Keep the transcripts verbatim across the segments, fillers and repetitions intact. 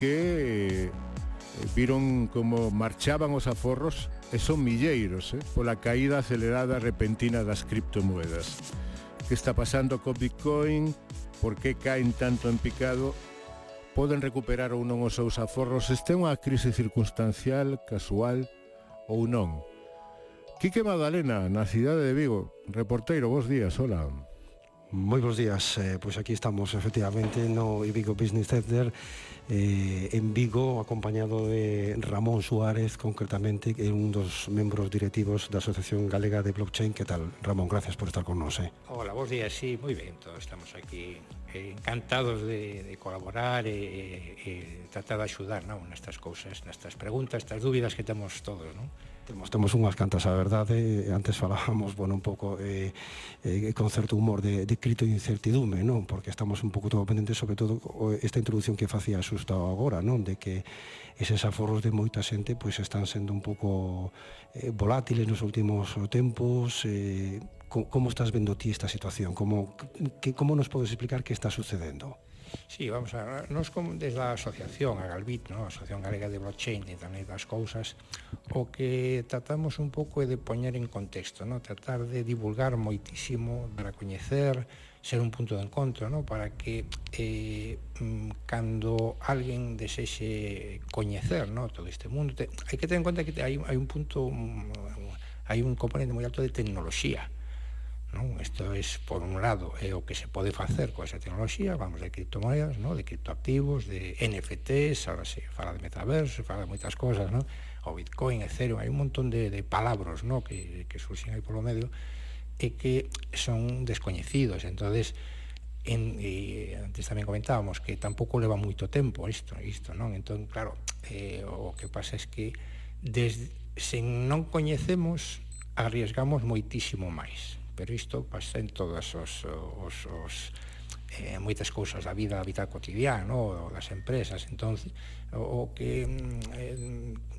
que viron como marchaban os aforros e son milleiros, eh, pola caída acelerada repentina das criptomoedas. Que está pasando co Bitcoin? Por que caen tanto en picado? Poden recuperar ou non os seus aforros? Este é unha crise circunstancial, casual ou non? Quique Magdalena, na cidade de Vigo, reporteiro, bos días, hola. Moi bons días, eh, pois aquí estamos efectivamente no Vigo Business Center, eh, en Vigo, acompañado de Ramón Suárez, concretamente, que é un dos membros directivos da Asociación Galega de Blockchain. Que tal, Ramón? Gracias por estar con nos. Eh. Hola, bons días, sí, moi ben, todos estamos aquí eh, encantados de, de colaborar e, e, e tratar de axudar, non, nestas cousas, nestas preguntas, estas dúbidas que temos todos, non? Temos, temos unhas cantas, a verdade. Antes falábamos, bueno, un pouco eh, eh, con certo humor de, de crito e incertidume, non? Porque estamos un pouco todo pendentes, sobre todo esta introducción que facía Xusta agora, non? De que eses aforros de moita xente pois están sendo un pouco eh, volátiles nos últimos tempos. eh, Como estás vendo ti esta situación? Como, que, como nos podes explicar que está sucedendo? Sí, vamos a ver, nos como desde a asociación, a Galbit, ¿no? A Asociación Galega de Blockchain e Internet das Cousas, o que tratamos un pouco é de poñer en contexto, ¿no? Tratar de divulgar moitísimo, para coñecer, ser un punto de encontro, ¿no? Para que eh, cando alguén desexe coñecer, ¿no? Todo este mundo, te, hai que ter en conta que hai, hai un punto, hai un componente moi alto de tecnoloxía. Non? Isto é, por un lado, é o que se pode facer con esa tecnoloxía, vamos, de criptomoedas, non? De criptoactivos, de N F Ts, ahora se fala de metaverso, se fala de moitas cosas, non? O Bitcoin, Ethereum, hai un montón de, de palabras, non? Que, que surxen aí polo medio e que son descoñecidos. Entonces, en, e antes tamén comentábamos que tampouco leva moito tempo isto, isto, non? Entón, claro, eh, o que pasa é que desde, sen non coñecemos, arriesgamos moitísimo máis. Pero isto pasa en todas os, os, os eh, moitas cousas da vida, da vida cotidiana, no? Das empresas. Entón, o, o que eh,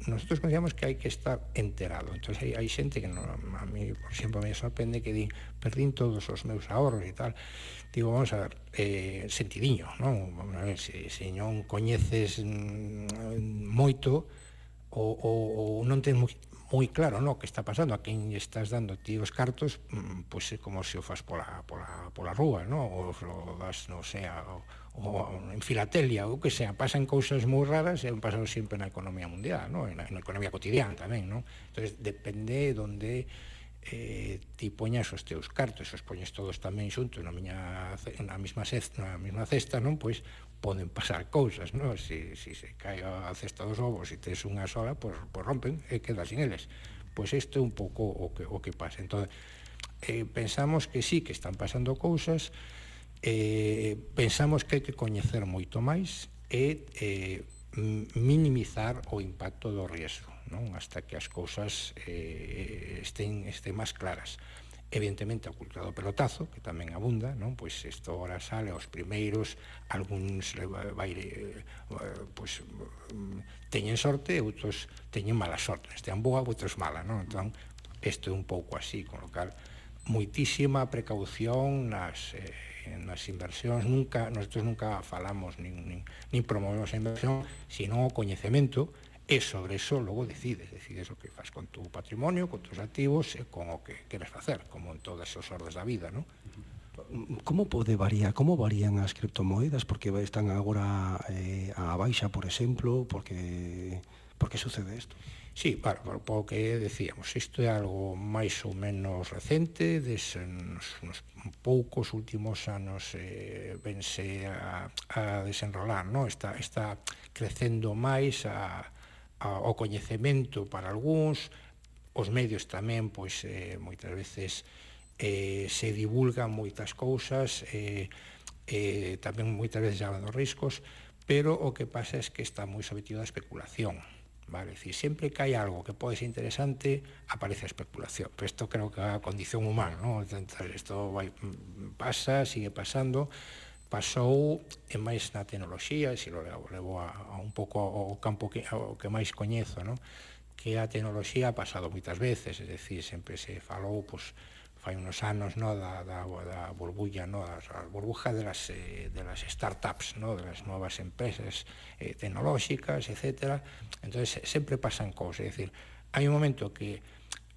nosotros consideramos que hai que estar enterado. Entón, hai, hai xente que no, a mí, por exemplo, me sorprende que di, perdín todos os meus ahorros e tal. Digo, vamos a ver, eh, sentidiño, non? Vamos a ver, se, se non coñeces mm, moito ou, ou, ou non tens moi moi claro, no, que está pasando, a quen estás dando ti os cartos, pois pues, é como se o fas pola, pola, pola rúa, no? Ou o das, non sei, o, o en filatelia, ou que sea, pasan cousas moi raras e han pasado sempre na economía mundial, no? Na, na economía cotidiana tamén, non? Entón, depende onde eh, ti poñas os teus cartos, os poñes todos tamén xuntos na miña, na mesma cesta, na mesma cesta, non? Pois poden pasar cousas, non? Si, si se cae a cesta dos ovos e tes unha sola, pois, pois rompen e quedas sin eles. Pois isto é un pouco o que, o que pasa. Entón, eh, pensamos que sí, que están pasando cousas, eh, pensamos que hai que coñecer moito máis e eh, minimizar o impacto do riesgo, non? Hasta que as cousas eh, estén, estén máis claras. Evidentemente a cultura do pelotazo, que tamén abunda, non? Pois isto ahora sale aos primeiros, algúns vai, eh, pois, teñen sorte, outros teñen mala sorte, estean boa, outros mala, non? Entón, isto é un pouco así, con lo cal, moitísima precaución nas, eh, nas inversións. Nunca, nosotros nunca falamos nin, nin, nin promovemos a inversión, sino o coñecemento. E sobre eso logo decides, decides o que faz con tu patrimonio, con tus activos e con o que queres facer, como en todas as ordes da vida, non? Como pode variar, como varían as criptomoedas? Porque están agora eh, a baixa, por exemplo, porque por que sucede isto? Sí, claro, por, por que decíamos, isto é algo máis ou menos recente, des, nos, nos poucos últimos anos eh, vense a, a desenrolar, non? Está, está crecendo máis a o coñecemento para algúns, os medios tamén, pois, eh, moitas veces eh, se divulgan moitas cousas, eh, eh, tamén moitas veces hablan dos riscos, pero o que pasa é que está moi sometido á especulación, vale? Decir, sempre que hai algo que pode ser interesante, aparece a especulación, pero isto creo que é a condición humana, non? Isto vai, pasa, sigue pasando, pasou e máis na tecnoloxía, e se lo levo, levo a, a un pouco ao campo que, ao que máis coñezo, non? Que a tecnoloxía ha pasado moitas veces, é dicir, sempre se falou, pois, fai unos anos, no, da, da, da burbulla, no, a, a burbuja de las, eh, de las startups, no, de las nuevas empresas eh, tecnolóxicas, etcétera. Entonces, sempre pasan cousas, é dicir, hai un momento que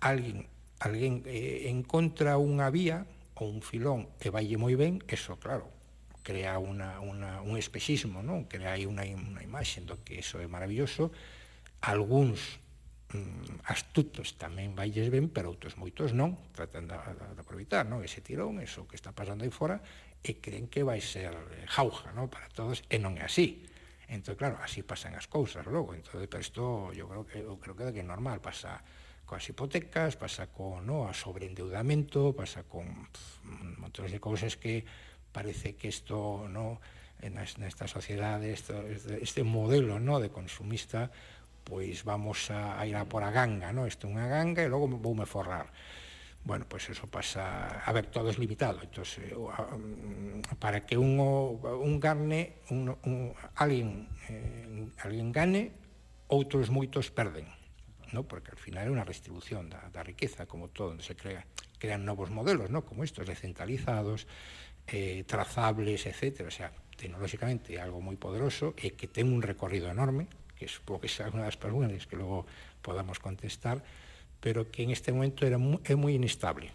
alguén, alguén eh, encontra unha vía ou un filón e vaille moi ben, eso, claro, crea una, una, un espexismo, non? Crea aí unha, unha imaxe do que eso é maravilloso. Algúns astutos tamén vailles ben, pero outros moitos non, tratan de, de, de aproveitar, non? Ese tirón, eso que está pasando aí fora, e creen que vai ser jauja, non? Para todos, e non é así. Entón, claro, así pasan as cousas logo. Entón, pero isto, eu creo que, eu creo que é normal, pasa coas hipotecas, pasa con, no, a sobreendeudamento, pasa con pff, un montón de cousas que parece que isto, no, nesta sociedade, esto, este modelo, no, de consumista, pois vamos a, a ir a por a ganga, no? Isto é unha ganga e logo voume forrar. Bueno, pois eso pasa... A ver, todo é limitado. Entón, para que un, un gane, un, un, alguén, eh, alguén gane, outros moitos perden, no? Porque al final é unha distribución da, da riqueza, como todo, onde se crea, crean novos modelos, no? Como estos, descentralizados, eh, trazables, etcétera. O sea, tecnolóxicamente é algo moi poderoso e que ten un recorrido enorme, que supongo que sea unha das preguntas que logo podamos contestar, pero que en este momento era muy, é moi inestable,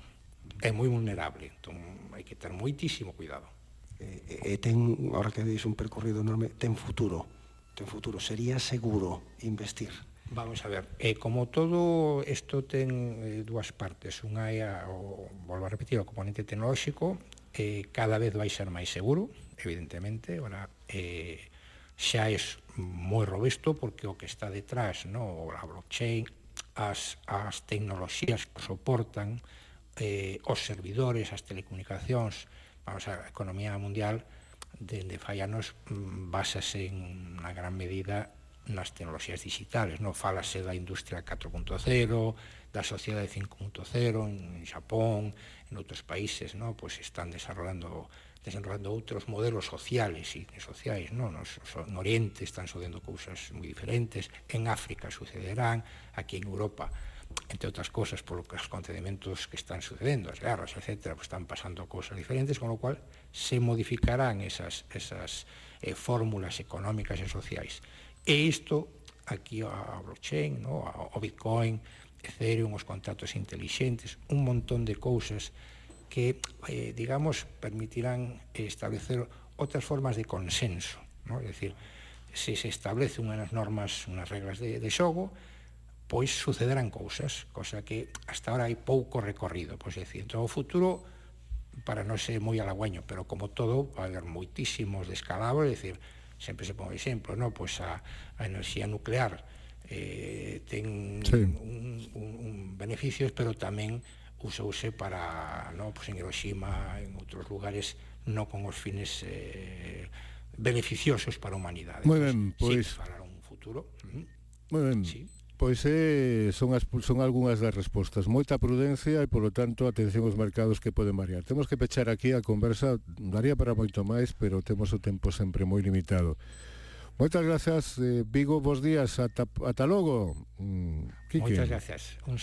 é moi vulnerable, entón hai que ter moitísimo cuidado. E, e ten, ahora que deis un percorrido enorme, ten futuro, ten futuro, sería seguro investir? Vamos a ver, eh, como todo isto ten eh, dúas partes, unha é, a, o, volvo a repetir, o componente tecnolóxico, eh, cada vez vai ser máis seguro, evidentemente, ahora eh, xa é moi robusto porque o que está detrás, no, a blockchain, as, as tecnoloxías que soportan, eh, os servidores, as telecomunicacións, vamos a, a economía mundial, dende fai anos, basase en unha gran medida nas tecnoloxías digitales, no? Fálase da industria catro punto cero, da sociedade cinco punto cero, en Xapón, en outros países, no? Pues están desarrollando desenrolando outros modelos sociales e sociais, non? Nos, no Oriente están sucedendo cousas moi diferentes, en África sucederán, aquí en Europa, entre outras cousas, por os acontecementos que están sucedendo, as guerras, etcétera, pues están pasando cousas diferentes, con lo cual se modificarán esas, esas eh, fórmulas económicas e sociais. E isto, aquí a blockchain, no? O Bitcoin, Ethereum, os contratos intelixentes, un montón de cousas que, eh, digamos, permitirán establecer outras formas de consenso, ¿no? É dicir, se se establece unhas normas, unhas reglas de, de xogo, pois sucederán cousas, cosa que hasta ahora hai pouco recorrido, pois é dicir, entón o futuro, para non ser moi halagüeño, pero como todo, vai haber moitísimos descalabros, é dicir, sempre se pon exemplo, ¿no? Pois a, a enerxía nuclear eh, ten sí. un, un, un beneficios, pero tamén usouse para, no, pues en Hiroshima, en outros lugares, non con os fines eh, beneficiosos para a humanidade. Moi ben, pois... Sí, falar un futuro. Moi ben, sí. Pois eh, son, as, son algunhas das respostas. Moita prudencia e, polo tanto, atención aos mercados que poden variar. Temos que pechar aquí a conversa, daría para moito máis, pero temos o tempo sempre moi limitado. Moitas grazas, eh, Vigo, bons días, ata, ata logo. Mm, Moitas gracias. Un